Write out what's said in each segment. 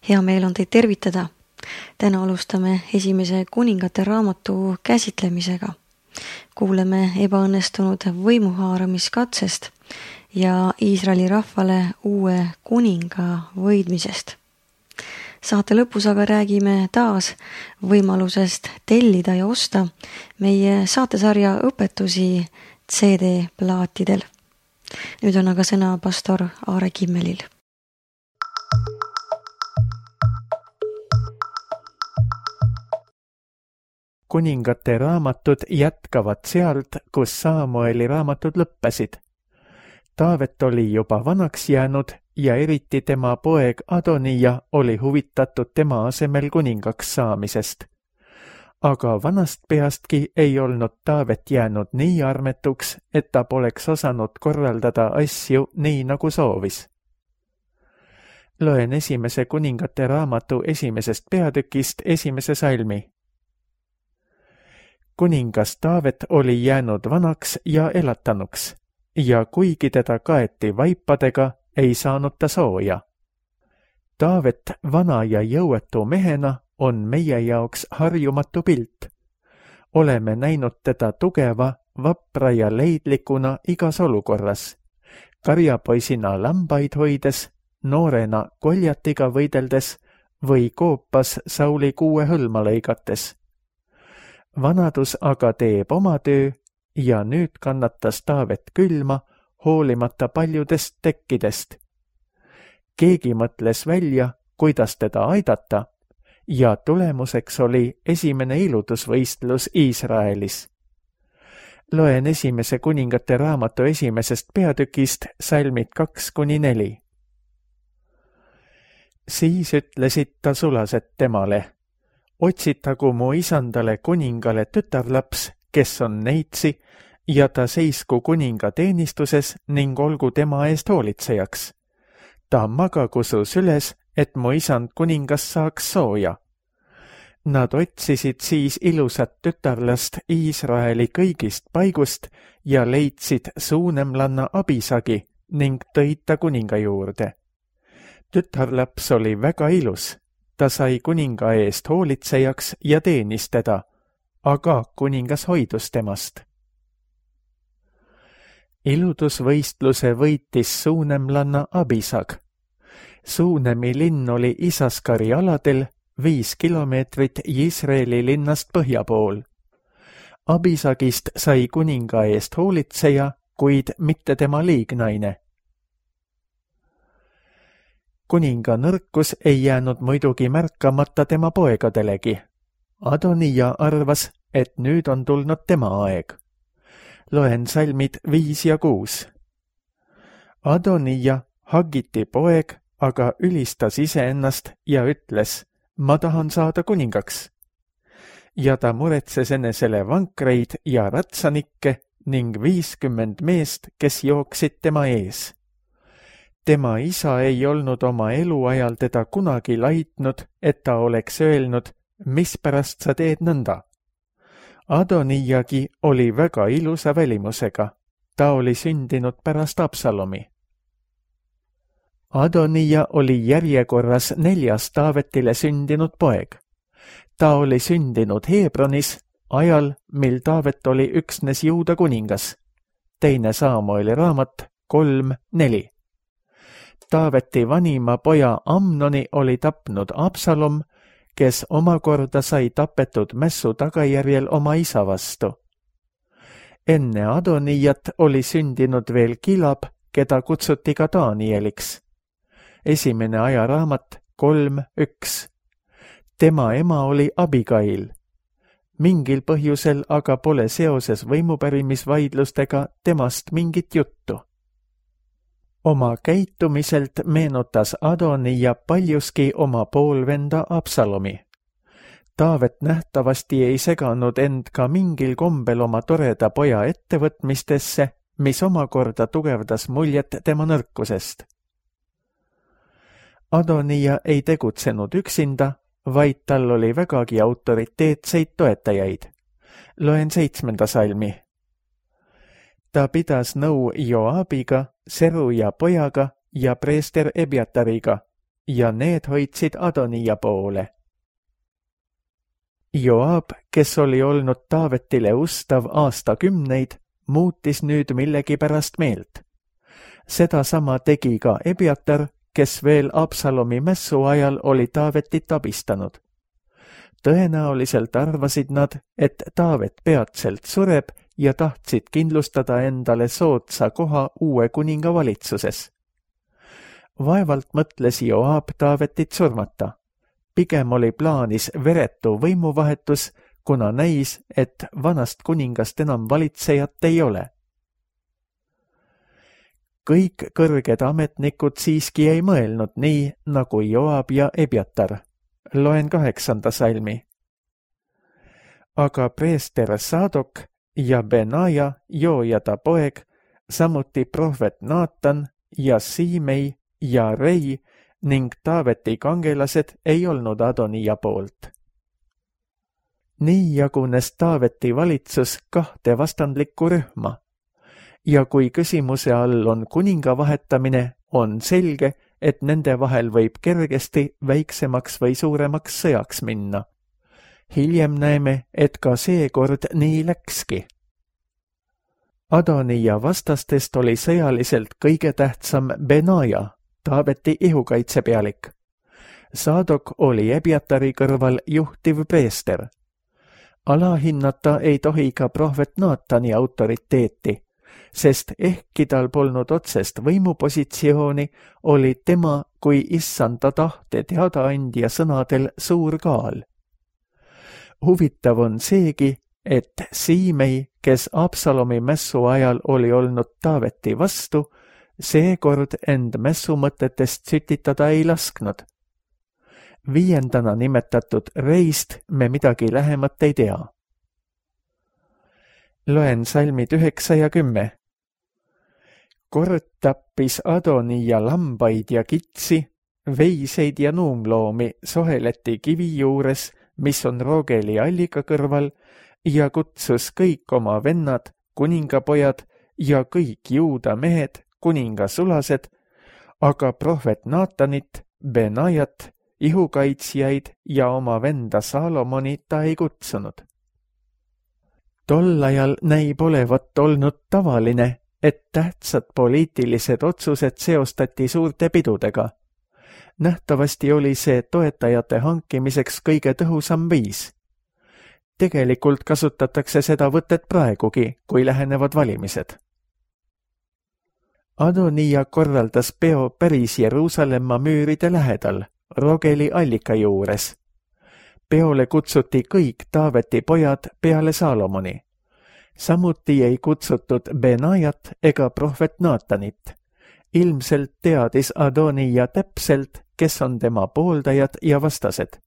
Hea meel on teid tervitada. Täna alustame esimese kuningate raamatu käsitlemisega. Kuuleme ebaõnnestunud võimuhaaramiskatsest ja Iisraeli rahvale uue kuninga võidmisest. Saate lõpus aga räägime taas võimalusest tellida ja osta meie saatesarja õpetusi CD-plaatidel. Nüüd on aga sõna pastor Aare Kimmelil. Kuningate raamatud jätkavad sealt, kus Saamueli raamatud lõppesid. Taavet oli juba vanaks jäänud ja eriti tema poeg Adonija oli huvitatud tema asemel kuningaks saamisest. Aga vanast peastki ei olnud Taavet jäänud nii armetuks, et ta poleks osanud korraldada asju nii nagu soovis. Loen esimese kuningate raamatu esimesest peatükist esimese salmi. Kuningas Taavet oli jäänud vanaks ja elatanuks, ja kuigi teda kaeti vaipadega, ei saanud ta sooja. Taavet vana ja jõuetu mehena on meie jaoks harjumatu pilt. Oleme näinud teda tugeva, vapra ja leidlikuna igas olukorras, karjapoisina lambaid hoides, noorena koljatiga võideldes või koopas Sauli 6 hõlma lõigates. Vanadus aga teeb oma töö ja nüüd kannatas Taavet külma, hoolimata paljudest tekkidest. Keegi mõtles välja, kuidas teda aidata, ja tulemuseks oli esimene ilutusvõistlus Iisraelis. Loen esimese kuningate raamatu esimesest peatükist salmid 2-4. Siis ütlesid ta sulased temale: otsitagu mu isandale kuningale tütarlaps, kes on neitsi, ja ta seisku kuninga teenistuses ning olgu tema eest hoolitsejaks. Ta magagu su süles, et mu isand kuningas saaks sooja. Nad otsisid siis ilusat tütarlast Iisraeli kõigist paigust ja leidsid suunemlanna Abisagi ning tõid ta kuninga juurde. Tütarlaps oli väga ilus. Ta sai kuninga eest hoolitsejaks ja teenis teda, aga kuningas hoidus temast. Ilutusvõistluse võitis suunemlanna Abisag. Suunemi linn oli Isaskari aladel 5 kilomeetrit Iisraeli linnast põhja pool. Abisagist sai kuninga eest hoolitseja, kuid mitte tema liignaine. Kuninga nõrkus ei jäänud muidugi märkamata tema poegadelegi. Adonija arvas, et nüüd on tulnud tema aeg. Loen salmid 5 ja 6. Adonija, Hagiti poeg, aga ülistas iseennast ja ütles: ma tahan saada kuningaks. Ja ta muretses enesele vankreid ja ratsanikke ning 50 meest, kes jooksid tema ees. Tema isa ei olnud oma eluajal teda kunagi laitnud, et ta oleks öelnud, mispärast sa teed nõnda. Adonijagi oli väga ilusa välimusega. Ta oli sündinud pärast Absalomi. Adonija oli järjekorras 4. Taavetile sündinud poeg. Ta oli sündinud Hebronis, ajal, mil Taavet oli üksnes Juuda kuningas. 2. Saamueli raamat 3-4. Taaveti vanima poja Amnoni oli tapnud Absalom, kes omakorda sai tapetud mässu tagajärjel oma isa vastu. Enne Adonijat oli sündinud veel Kilab, keda kutsuti ka Danieliks. 1. ajaraamat 3-1. Tema ema oli Abigail. Mingil põhjusel aga pole seoses võimupärimisvaidlustega temast mingit juttu. Oma käitumiselt meenutas Adonija paljuski oma poolvenda Absalomi. Taavet nähtavasti ei seganud end ka mingil kombel oma toreda poja ettevõtmistesse, mis omakorda tugevdas muljet tema nõrkusest. Adonija ei tegutsenud üksinda, vaid tal oli vägagi autoriteetseid toetajaid. Loen 7. salmi. Ta pidas nõu Joabiga, Seruja pojaga ja preester Ebjatariga ja need hoidsid Adonija poole. Joab, kes oli olnud Taavetile ustav aastakümneid, muutis nüüd millegipärast meelt. Sedasama tegi ka Ebiatar, kes veel Absalomi mässu ajal oli Taavetit abistanud. Tõenäoliselt arvasid nad, et Taavet peatselt sureb ja tahtsid kindlustada endale soodsa koha uue kuninga valitsuses. Vaevalt mõtles Joab Taavetit surmata. Pigem oli plaanis veretu võimuvahetus, kuna näis, et vanast kuningast enam valitsejat ei ole. Kõik kõrged ametnikud siiski ei mõelnud nii, nagu Joab ja Ebiatar. Loen 8. salmi. Aga preester Sadok ja Benaja, Joojada poeg, samuti prohvet Naatan ja Siimei ja Rei ning Taaveti kangelased ei olnud Adonija poolt. Nii jagunes Taaveti valitsus 2 vastandlikku rühma. Ja kui küsimuse all on kuninga vahetamine, on selge, et nende vahel võib kergesti väiksemaks või suuremaks sõjaks minna. Hiljem näeme, et ka seekord nii läkski. Adonija vastastest oli sõjaliselt kõige tähtsam Benaja, Taaveti ihukaitsepealik. Sadok oli Ebiatari kõrval juhtiv preester. Alahinnata ei tohi ka prohvet Naatani autoriteeti, sest ehkki tal polnud otsest võimupositsiooni, oli tema kui issanda tahte teadaandja sõnadel suur kaal. Huvitav on seegi, et Siimei, kes Absalomi mässu ajal oli olnud Taaveti vastu, seekord end mässumõtetest sütitada ei lasknud. 5. nimetatud Reist me midagi lähemat ei tea. Loen salmid 9 ja 10. Kord tappis Adonija lambaid ja kitsi, veiseid ja nuumloomi Soheleti kivi juures, mis on Rogeli allika kõrval, ja kutsus kõik oma vennad, kuningapojad ja kõik juuda mehed, kuningasulased, aga prohvet Naatanit, Benajat, ihukaitsjaid ja oma venda Salomoni ta ei kutsunud. Tol ajal näib olevat olnud tavaline, et tähtsad poliitilised otsused seostati suurte pidudega. Nähtavasti oli see toetajate hankimiseks kõige tõhusam viis. Tegelikult kasutatakse seda võtet praegugi, kui lähenevad valimised. Adonija korraldas peo päris Jeruusalemma müüride lähedal, Rogeli allika juures. Peole kutsuti kõik Taaveti pojad peale Salomoni. Samuti ei kutsutud Benajat ega prohvet Naatanit. Ilmselt teadis Adonija täpselt, kes on tema pooldajad ja vastased.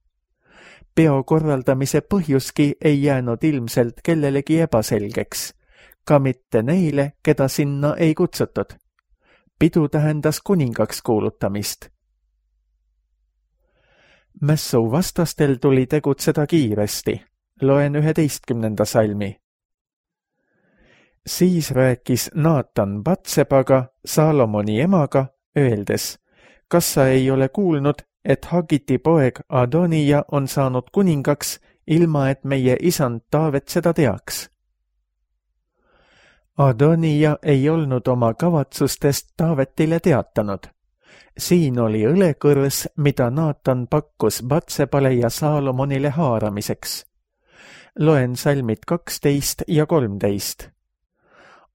Peo korraldamise põhjuski ei jäänud ilmselt kellelegi ebaselgeks, ka mitte neile, keda sinna ei kutsutud. Pidu tähendas kuningaks kuulutamist. Mässu vastastel tuli tegutseda kiiresti. Loen 11. salmi. Siis rääkis Naatan Batsebaga, Salomoni emaga, öeldes, kas sa ei ole kuulnud, et Hagiti poeg Adonija on saanud kuningaks, ilma et meie isand Taavet seda teaks? Adonija ei olnud oma kavatsustest Taavetile teatanud. Siin oli õlekõrs, mida Naatan pakkus Batsebale ja Salomonile haaramiseks. Loen salmid 12 ja 13.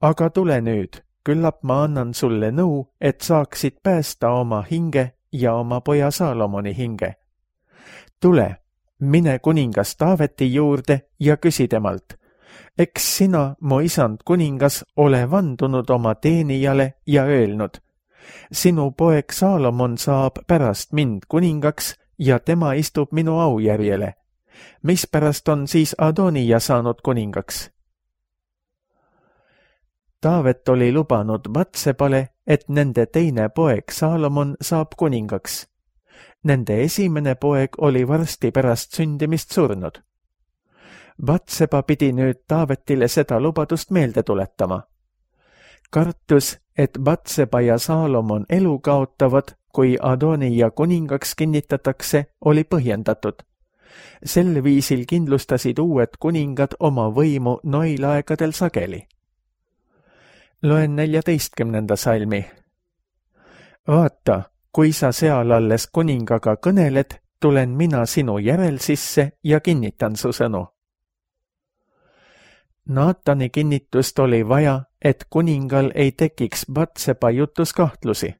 Aga tule nüüd, küllap ma annan sulle nõu, et saaksid päästa oma hinge ja oma poja Salomoni hinge. Tule, mine kuningas Taaveti juurde ja küsi temalt, eks sina, mu isand kuningas, ole vandunud oma teenijale ja öelnud, sinu poeg Salomon saab pärast mind kuningaks ja tema istub minu aujärjele. Mispärast on siis Adonija saanud kuningaks? Taavet oli lubanud Batsebale, et nende teine poeg Salomon saab kuningaks. Nende esimene poeg oli varsti pärast sündimist surnud. Batseba pidi nüüd Taavetile seda lubadust meelde tuletama. Kartus, et Batseba ja Salomon elu kaotavad, kui Adonija kuningaks kinnitatakse, oli põhjendatud. Sel viisil kindlustasid uued kuningad oma võimu noil aegadel sageli. Loen 14. salmi. Vaata, kui sa seal alles kuningaga kõneled, tulen mina sinu järel sisse ja kinnitan su sõnu. Naatani kinnitust oli vaja, et kuningal ei tekiks Batseba jutus kahtlusi.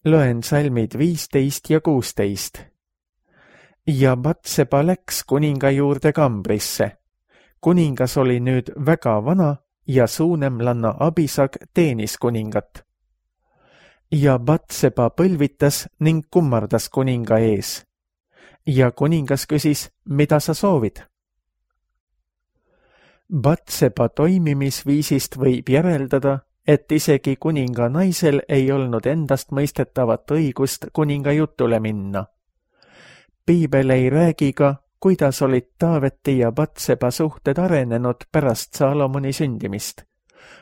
Loen salmid 15 ja 16. Ja Batseba läks kuninga juurde kambrisse. Kuningas oli nüüd väga vana ja suunemlanna Abisag teenis kuningat. Ja Batseba põlvitas ning kummardas kuninga ees. Ja kuningas küsis, mida sa soovid? Batseba toimimisviisist võib järeldada, et isegi kuninga naisel ei olnud endast mõistetavat õigust kuninga jutule minna. Piibel ei räägi ka, kuidas olid Taaveti ja Batseba suhted arenenud pärast Saalomoni sündimist.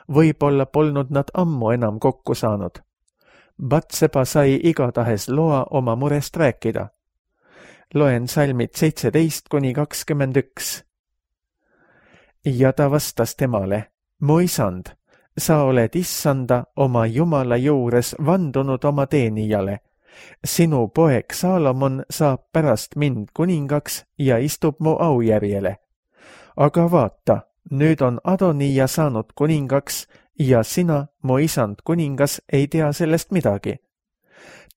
Võib-olla polnud nad ammu enam kokku saanud. Batseba sai igatahes loa oma murest rääkida. Loen salmid 17-21. Ja ta vastas temale, mu isand, sa oled issanda oma Jumala juures vandunud oma teenijale. Sinu poeg Saalomon saab pärast mind kuningaks ja istub mu aujärjele. Aga vaata, nüüd on Adonija saanud kuningaks ja sina, mu isand kuningas, ei tea sellest midagi.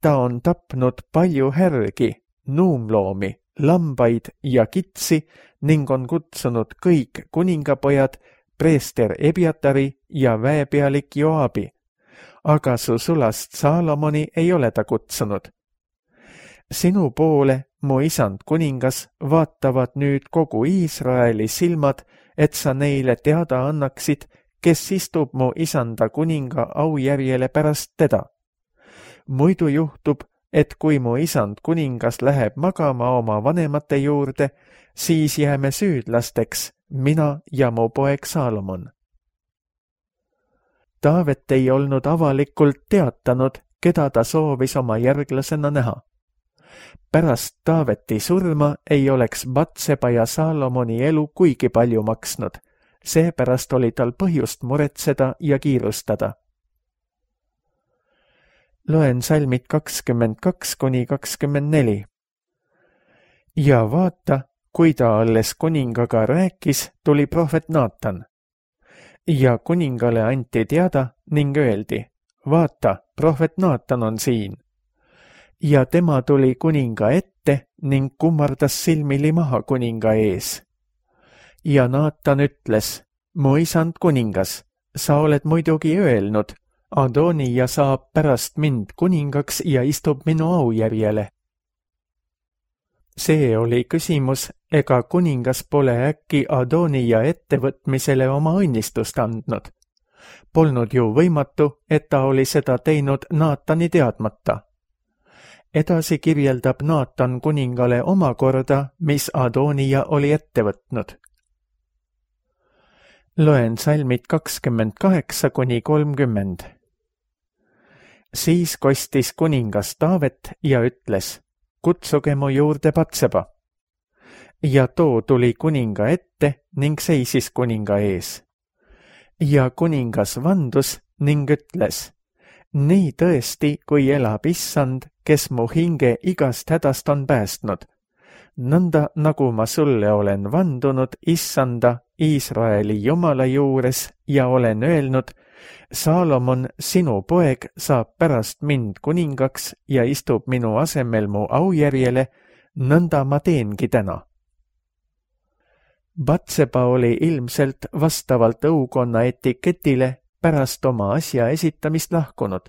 Ta on tapnud palju härgi, nuumloomi, lambaid ja kitsi ning on kutsunud kõik kuningapojad, preester Ebiatari ja väepealik Joabi. Aga su sulast Saalomoni ei ole ta kutsunud. Sinu poole, mu isand kuningas, vaatavad nüüd kogu Iisraeli silmad, et sa neile teada annaksid, kes istub mu isanda kuninga aujärjele pärast teda. Muidu juhtub, et kui mu isand kuningas läheb magama oma vanemate juurde, siis jääme süüdlasteks, mina ja mu poeg Saalomon. Taavet ei olnud avalikult teatanud, keda ta soovis oma järglasena näha. Pärast Taaveti surma ei oleks Batseba ja Saalomoni elu kuigi palju maksnud, seepärast oli tal põhjust muretseda ja kiirustada. Loen salmid 22-24. Ja vaata, kui ta alles kuningaga rääkis, tuli prohvet Naatan. Ja kuningale anti teada ning öeldi, vaata, prohvet Naatan on siin. Ja tema tuli kuninga ette ning kummardas silmili maha kuninga ees. Ja Naatan ütles, mu isand kuningas, sa oled muidugi öelnud, Adonija saab pärast mind kuningaks ja istub minu aujärjele. See oli küsimus, ega kuningas pole äkki Adonija ettevõtmisele oma õnnistust andnud. Polnud ju võimatu, et ta oli seda teinud Naatani teadmata. Edasi kirjeldab Naatan kuningale omakorda, mis Adonija oli ette võtnud. Loen salmid 28-30. Siis kostis kuningas Taavet ja ütles, kutsuge mu juurde Batseba. Ja too tuli kuninga ette ning seisis kuninga ees. Ja kuningas vandus ning ütles, nii tõesti, kui elab issand, kes mu hinge igast hädast on päästnud. Nõnda, nagu ma sulle olen vandunud issanda Iisraeli Jumala juures ja olen öelnud, Saalomon, sinu poeg, saab pärast mind kuningaks ja istub minu asemel mu aujärjele, nõnda ma teengi täna. Batseba oli ilmselt vastavalt õukonna etiketile pärast oma asja esitamist lahkunud.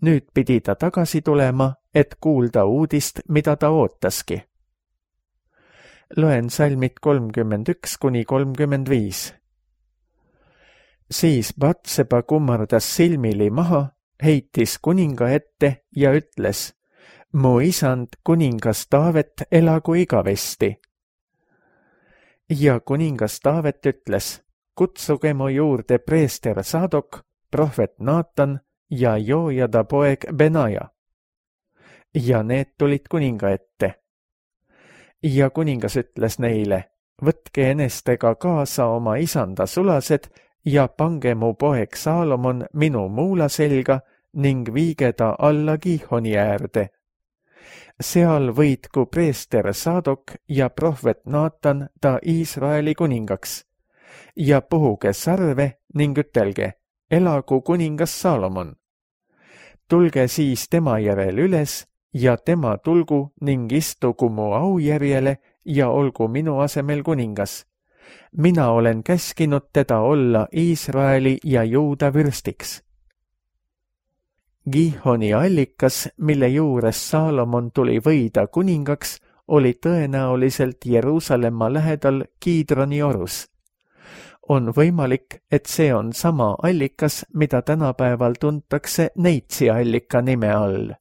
Nüüd pidi ta tagasi tulema, et kuulda uudist, mida ta ootaski. Loen salmid 31-35. Siis Batseba kummardas silmili maha, heitis kuninga ette ja ütles, mu isand kuningas Taavet elagu igavesti. Ja kuningas Taavet ütles, kutsuge mu juurde preester Sadok, prohvet Naatan ja Joojada poeg Benaja. Ja need tulid kuninga ette. Ja kuningas ütles neile, võtke enestega kaasa oma isanda sulased ja pange mu poeg Saalomon minu muula selga ning viige ta alla Gihoni äärde. Seal võitku preester Saadok ja prohvet Naatan ta Iisraeli kuningaks ja puhuge sarve ning ütelge, elagu kuningas Saalomon. Tulge siis tema järel üles ja tema tulgu ning istugu mu aujärjele ja olgu minu asemel kuningas. Mina olen käskinud teda olla Iisraeli ja Juuda vürstiks. Gihoni allikas, mille juures Saalomon tuli võida kuningaks, oli tõenäoliselt Jeruusalemma lähedal Kiidroni orus. On võimalik, et see on sama allikas, mida tänapäeval tuntakse Neitsi allika nime all.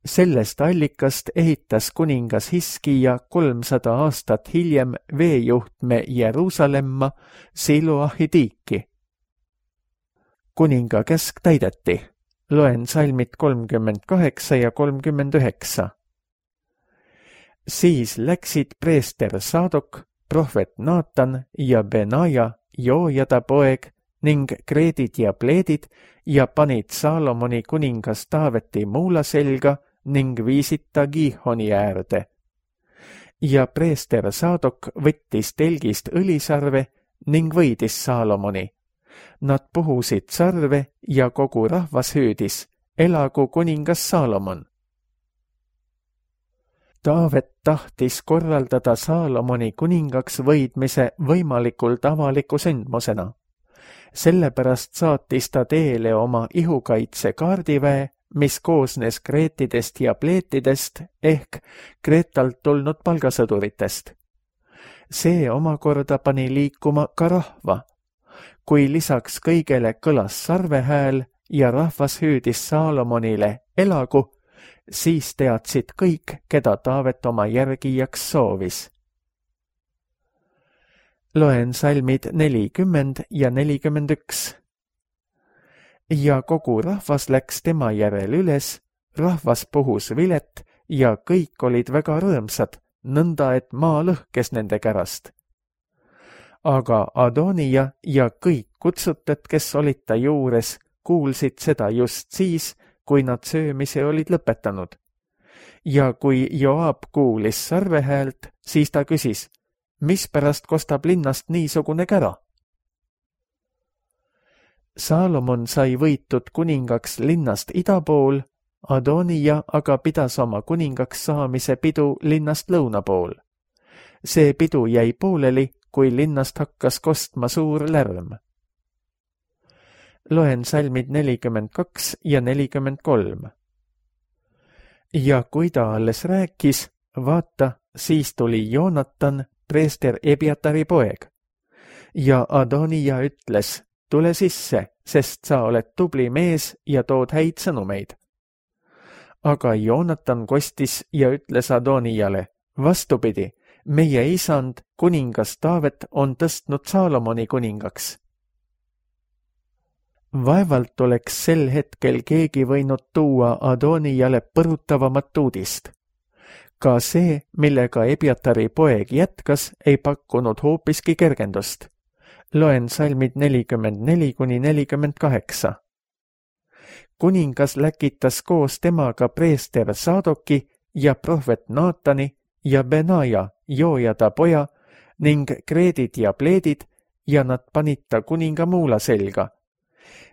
Sellest allikast ehitas kuningas Hiskija 300 aastat hiljem veejuhtme Jeruusalemma Siloahi tiiki. Kuninga käsk täideti. Loen salmid 38 ja 39. Siis läksid preester Saadok, prohvet Naatan ja Benaja, Joojada poeg, ning kreedid ja pleedid ja panid Saalomoni kuningas Taaveti muula selga ning viisid ta Gihoni äärde. Ja preester Saadok võttis telgist õlisarve ning võidis Saalomoni. Nad puhusid sarve ja kogu rahvas hüüdis, elagu kuningas Saalomon. Taavet tahtis korraldada Saalomoni kuningaks võidmise võimalikult avaliku sündmusena. Sellepärast saatis ta teele oma ihukaitse kaardiväe, mis koosnes kreetidest ja pleetidest ehk Kreetalt tulnud palgasõduritest. See omakorda pani liikuma ka rahva. Kui lisaks kõigele kõlas sarvehääl ja rahvas hüüdis Saalomonile elagu, siis teadsid kõik, keda Taavet oma järgijaks soovis. Loen salmid 40 ja 41. Ja kogu rahvas läks tema järel üles, rahvas puhus vilet ja kõik olid väga rõõmsad, nõnda et maa lõhkes nende kärast. Aga Adonija ja kõik kutsutud, kes olid ta juures, kuulsid seda just siis, kui nad söömise olid lõpetanud. Ja kui Joab kuulis sarvehäält, siis ta küsis, mispärast kostab linnast niisugune kära? Saalomon sai võitud kuningaks linnast ida pool, Adonija aga pidas oma kuningaks saamise pidu linnast lõuna pool. See pidu jäi pooleli, kui linnast hakkas kostma suur lärm. Loen salmid 42 ja 43. Ja kui ta alles rääkis, vaata, siis tuli Joonatan, preester Ebiatari poeg. Ja Adonija ütles, tule sisse, sest sa oled tubli mees ja tood häid sõnumeid. Aga Joonatan kostis ja ütles Adonijale, vastupidi, meie isand, kuningas Taavet, on tõstnud Saalomoni kuningaks. Vaevalt oleks sel hetkel keegi võinud tuua Adonijale põrutavamat uudist. Ka see, millega Ebiatari poeg jätkas, ei pakkunud hoopiski kergendust. Loen salmid 44 kuni 48. Kuningas läkitas koos temaga preester Saadoki ja prohvet Naatani ja Benaja, Joojada poja, ning kreedid ja pleedid ja nad panid ta kuninga muula selga.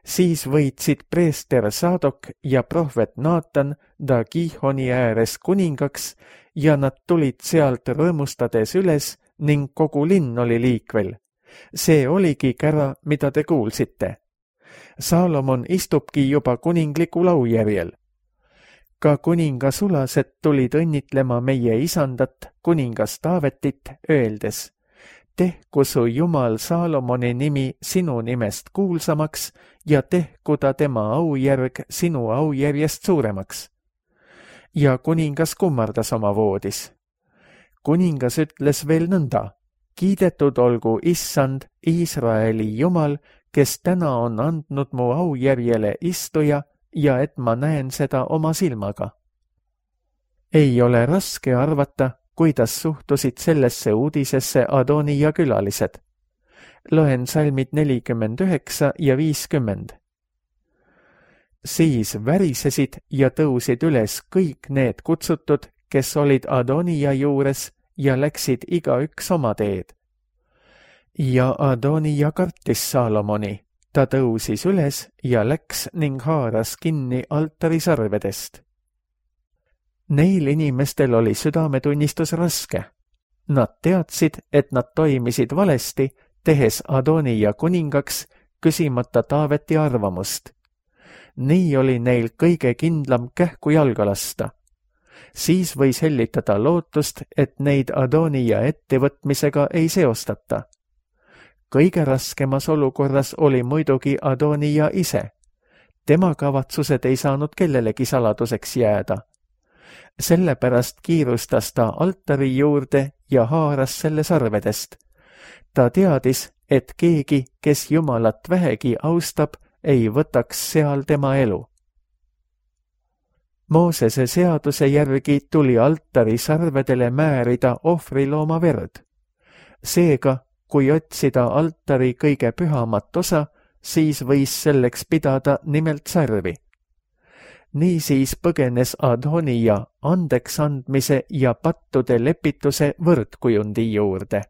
Siis võitsid preester Saadok ja prohvet Naatan ta Gihoni ääres kuningaks ja nad tulid sealt rõõmustades üles ning kogu linn oli liikvel. See oligi kära, mida te kuulsite. Saalomon istubki juba kuningliku laujärjel. Ka kuninga sulased tulid õnnitlema meie isandat, kuningas Taavetit, öeldes, tehku su Jumal Saalomoni nimi sinu nimest kuulsamaks ja tehku ta tema aujärg sinu aujärjest suuremaks. Ja kuningas kummardas oma voodis. Kuningas ütles veel nõnda, kiidetud olgu Issand, Iisraeli Jumal, kes täna on andnud mu aujärjele istuja ja et ma näen seda oma silmaga. Ei ole raske arvata, kuidas suhtusid sellesse uudisesse Adonija külalised. Loen salmid 49 ja 50. Siis värisesid ja tõusid üles kõik need kutsutud, kes olid Adonija juures ja läksid igaüks oma teed. Ja Adonija kartis Saalomoni, ta tõusis üles ja läks ning haaras kinni altari sarvedest. Neil inimestel oli südametunnistus raske. Nad teadsid, et nad toimisid valesti, tehes Adonija kuningaks, küsimata Taaveti arvamust. Nii oli neil kõige kindlam kähku jalga lasta. Siis võis hellitada lootust, et neid Adonija ettevõtmisega ei seostata. Kõige raskemas olukorras oli muidugi Adonija ise. Tema kavatsused ei saanud kellelegi saladuseks jääda. Sellepärast kiirustas ta altari juurde ja haaras selle sarvedest. Ta teadis, et keegi, kes Jumalat vähegi austab, ei võtaks seal tema elu. Moosese seaduse järgi tuli altari sarvedele määrida ohvrilooma verd. Seega, kui otsida altari kõige pühamat osa, siis võis selleks pidada nimelt sarvi. Niisiis põgenes Adonija andeks andmise ja pattude lepituse võrdkujundi juurde.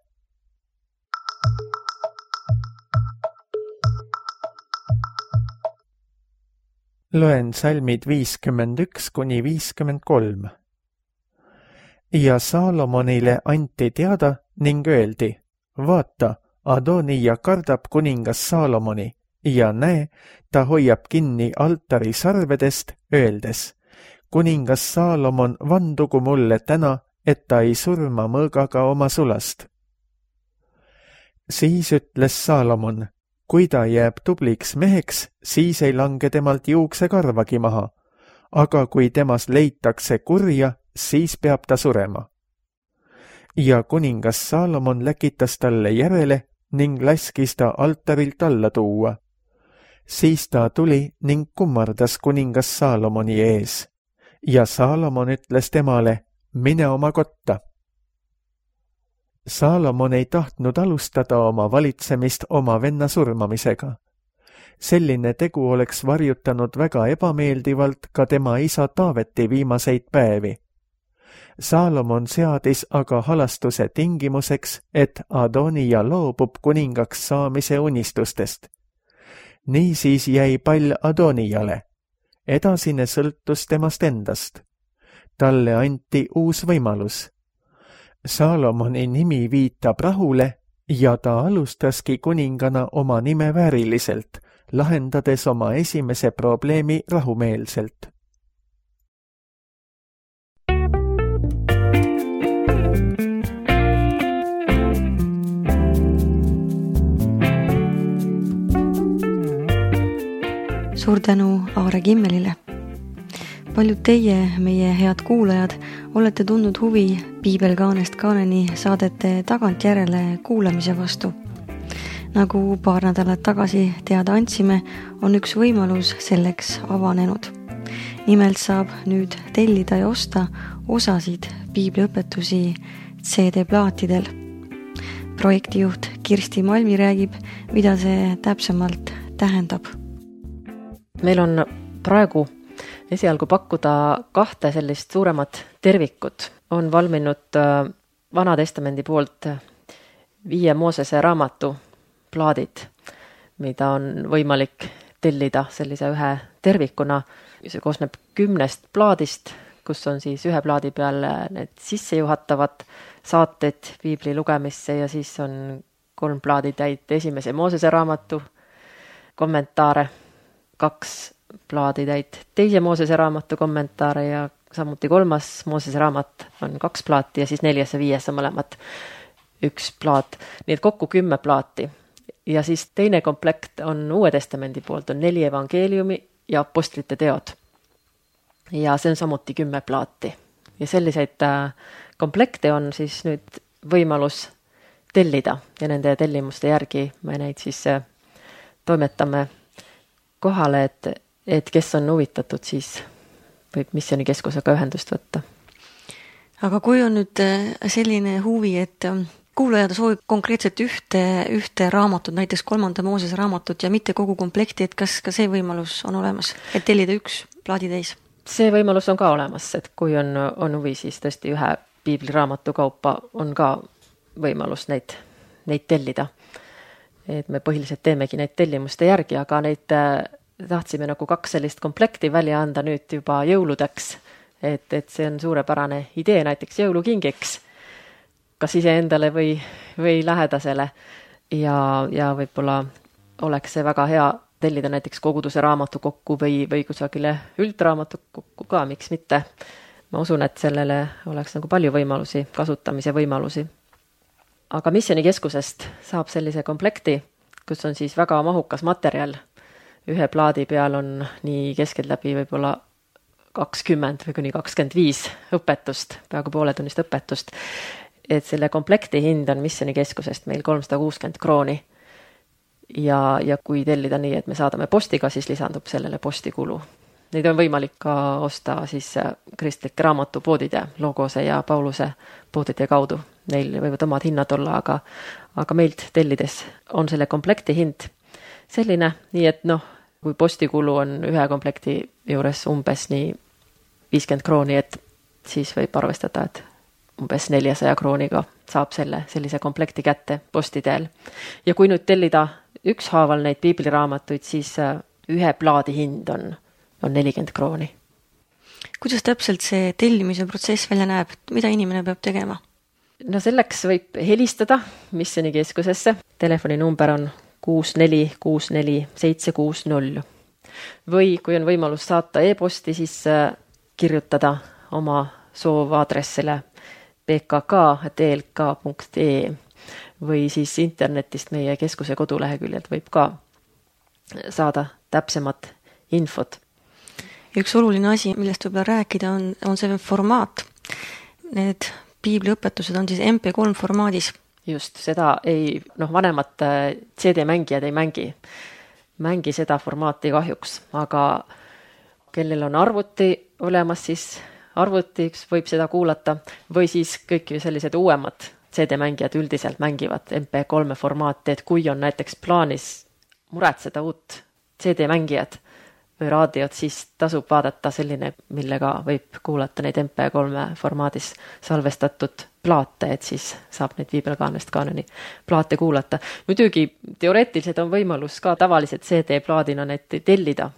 Loen salmid 51 kuni 53. Ja Saalomonile anti teada ning öeldi, vaata, Adonija kardab kuningas Saalomoni ja näe, ta hoiab kinni altari sarvedest, öeldes, kuningas Saalomon vandugu mulle täna, et ta ei surma mõõgaga oma sulast. Siis ütles Saalomon, kui ta jääb tubliks meheks, siis ei lange temalt juuksekarvagi maha, aga kui temas leitakse kurja, siis peab ta surema. Ja kuningas Saalomon läkitas talle järele ning laskis ta altarilt alla tuua. Siis ta tuli ning kummardas kuningas Saalomoni ees. Ja Saalomon ütles temale, mine oma kotta. Saalomon ei tahtnud alustada oma valitsemist oma venna surmamisega. Selline tegu oleks varjutanud väga ebameeldivalt ka tema isa Taaveti viimaseid päevi. Saalomon seadis aga halastuse tingimuseks, et Adonija loobub kuningaks saamise unistustest. Niisiis jäi pall Adonijale. Edasine sõltus temast endast. Talle anti uus võimalus. Saalomoni nimi viitab rahule ja ta alustaski kuningana oma nime vääriliselt, lahendades oma esimese probleemi rahumeelselt. Suur tänu Aare Kimmelile. Paljud teie, meie head kuulajad, olete tundnud huvi Piibel kaanest kaaneni saadete tagantjärele kuulamise vastu. Nagu paar nädalat tagasi teada andsime, on üks võimalus selleks avanenud. Nimelt saab nüüd tellida ja osta osasid piibliõpetusi CD-plaatidel. Projektijuht Kirsti Malmi räägib, mida see täpsemalt tähendab. Meil on praegu esialgu pakkuda 2 sellist suuremat tervikut. On valminud Vana Testamendi poolt 5 Moosese raamatu plaadid, mida on võimalik tellida sellise ühe tervikuna. See koosneb 10 plaadist, kus on siis ühe plaadi peal need sissejuhatavad saated piibli lugemisse ja siis on 3 plaaditäit esimese Moosese raamatu kommentaare, 2 plaaditäit teise Moosese raamatu kommentaare ja samuti 3. Moosese raamat on 2 plaati ja siis 4. ja 5. on mõlemad 1 plaat. Nii et kokku 10 plaati. Ja siis teine komplekt on Uue Testamendi poolt, on 4 evangeeliumi ja apostlite teod. Ja see on samuti 10 plaati. Ja selliseid komplekte on siis nüüd võimalus tellida ja nende tellimuste järgi me neid siis toimetame kohale, et et kes on huvitatud, siis võib Missioonikeskusega ühendust võtta. Aga kui on nüüd selline huvi, et kuulaja soovib konkreetselt ühte raamatut, näiteks 3. Moosese raamatut ja mitte kogu komplekti, et kas ka see võimalus on olemas, et tellida üks plaaditäis? See võimalus on ka olemas, et kui on huvi, siis tõesti ühe piibliraamatu kaupa on ka võimalus neid tellida. Et me põhiliselt teemegi neid tellimuste järgi, aga neid tahtsime nagu 2 sellist komplekti välja anda nüüd juba jõuludeks, et see on suurepärane idee näiteks jõulukingiks, kas iseendale või lähedasele ja võib-olla oleks see väga hea tellida näiteks koguduse raamatu kokku või kusagile üldraamatu kokku ka, miks mitte. Ma usun, et sellele oleks nagu palju võimalusi, kasutamise võimalusi. Aga Missioonikeskusest saab sellise komplekti, kus on siis väga mahukas materjal. Ühe plaadi peal on nii keskeltläbi võib-olla 20 või kuni 25 õpetust, peaaegu pooletunnist õpetust. Et selle komplekti hind on Missioonikeskusest meil 360 krooni. Ja kui tellida nii, et me saadame postiga, siis lisandub sellele postikulu. Neid on võimalik ka osta siis kristlike raamatupoodide, Logose ja Pauluse poodide kaudu. Neil võivad omad hinnad olla, aga meilt tellides on selle komplekti hind selline, nii et kui postikulu on ühe komplekti juures umbes nii 50 krooni, et siis võib arvestada, et umbes 400 krooniga saab sellise komplekti kätte posti teel. Ja kui nüüd tellida ükshaaval neid piibliraamatuid, siis ühe plaadi hind on 40 krooni. Kuidas täpselt see tellimise protsess välja näeb? Mida inimene peab tegema? No selleks võib helistada Missioonikeskusesse. Telefoninumber on 6464760. Või kui on võimalus saata e-posti, siis kirjutada oma soovaadressile pkk@elk.ee või siis internetist meie keskuse koduleheküljelt võib ka saada täpsemat infot. Üks oluline asi, millest võib-olla rääkida, on see formaat. Need piibliõpetused on siis MP3 formaadis. Just, seda vanemad CD-mängijad ei mängi seda formaati kahjuks, aga kellel on arvuti olemas, siis arvutiks võib seda kuulata või siis kõik sellised uuemad CD-mängijad üldiselt mängivad MP3 formaati, et kui on näiteks plaanis muretseda uut CD-mängijad või raadiot, siis tasub vaadata selline, millega võib kuulata neid MP3 formaadis salvestatud plaate, et siis saab neid Piibelkaanest kaanoni plaate kuulata. Muidugi teoreetiliselt on võimalus ka tavaliselt CD-plaadina neid tellida,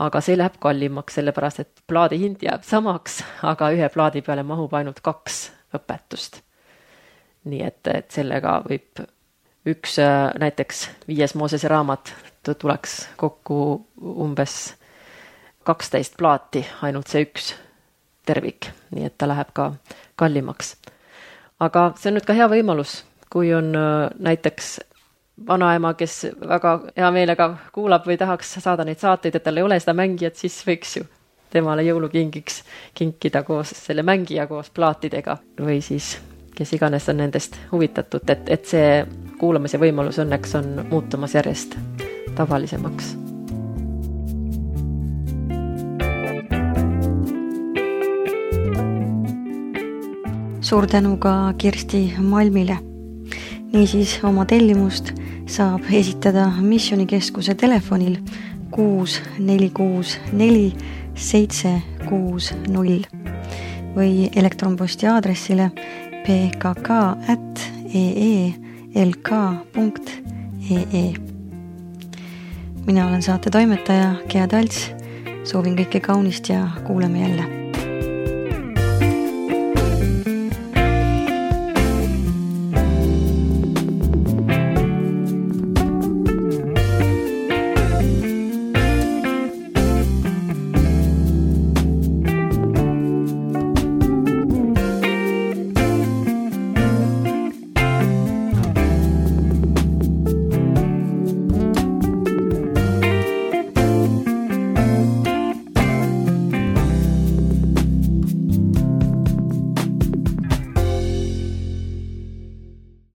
aga see läheb kallimaks, sellepärast et plaadi hind jääb samaks, aga ühe plaadi peale mahub ainult 2 õpetust. Nii et sellega võib üks näiteks 5. Moosese raamat tuleks kokku umbes 12 plaati, ainult see üks tervik, nii et ta läheb ka kallimaks. Aga see on nüüd ka hea võimalus, kui on näiteks vanaema, kes väga hea meelega kuulab või tahaks saada neid saateid, et tal ei ole seda mängijat, siis võiks ju temale jõulukingiks kinkida koos selle mängija koos plaatidega või siis kes iganes on nendest huvitatud, et see kuulamise võimalus õnneks on muutumas järjest tavalisemaks. Suur tänu ka Kirsti Malmile. Niisiis oma tellimust saab esitada Missioonikeskuse telefonil 6464 760 või elektronposti aadressile pkk@eelk.ee. Mina olen saate toimetaja Gea Talts. Soovin kõike kaunist ja kuuleme jälle.